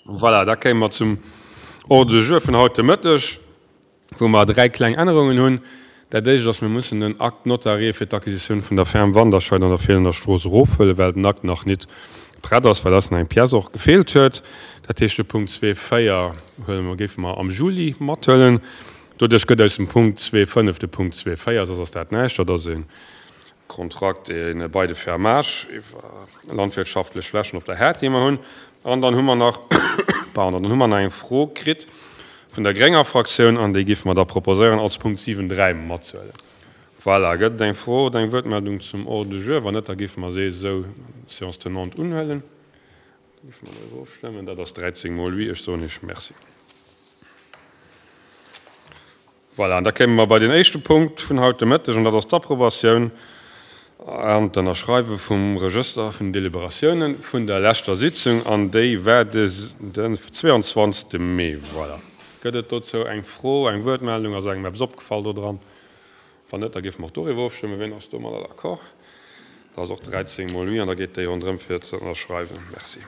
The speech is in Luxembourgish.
Voilà, da kéime mer zum Ordre du jour vun haut de Mëtteg, wou mer 3 kleng Ännerungen hunn. Dat éischt ass, mir mussen den Acte notarié fir d'Acquisitioun vun der Ferme Wanderscheid an der Feelener Strooss erofhuelen, well den Akt nach nit prett ass, well eis nach eng Pièce och gefeelt huet. Dat heescht, de Punkt 2,4 huele mer, géife mer am Juli mathuelen. Doduerch gëtt aus dem Punkt 2,5 de Punkt 2,4, soss ass dat näischt. Dat ass e Kontrakt, e Bail de fermage iwwer landwirtschaftlech Flächen op der Haard, déi mer hunn. An dann hu mer nach, pardon, dann hu mer nach eng Fro kritt vun der grénger Fraktioun an déi géife mer da proposéieren als Punkt 7,3 matzehuelen. Voilà, gëtt et eng Fro oder eng Wuertmeldung zum Ordre du jour? Wann net, da géife mer se esou séance tenante unhuelen. Da géife mer doriwwer ofstëmmen. Dat ass 13 mol oui. Ech soen Iech Merci. Voilà, an da kéime mer bei den éischte Punkt vun haut de Mëtteg, an dat ass d'Approbatioun an d'Ënnerschreiwe vum Regëster vun den Deliberatiounen vun der leschter Sitzung, an déi war den 22. Mee. Voilà. Gëtt et dozou eng Fro, eng Wuertmeldung? Ass engem eppes opgefall dodran? Wann net, da géife mer och doriwwer ofstëmmen. Wien ass domadder d'accord? Dat ass och 13 mol oui, an da geet déi ronderëm fir ze ënnerschreiwen. Merci.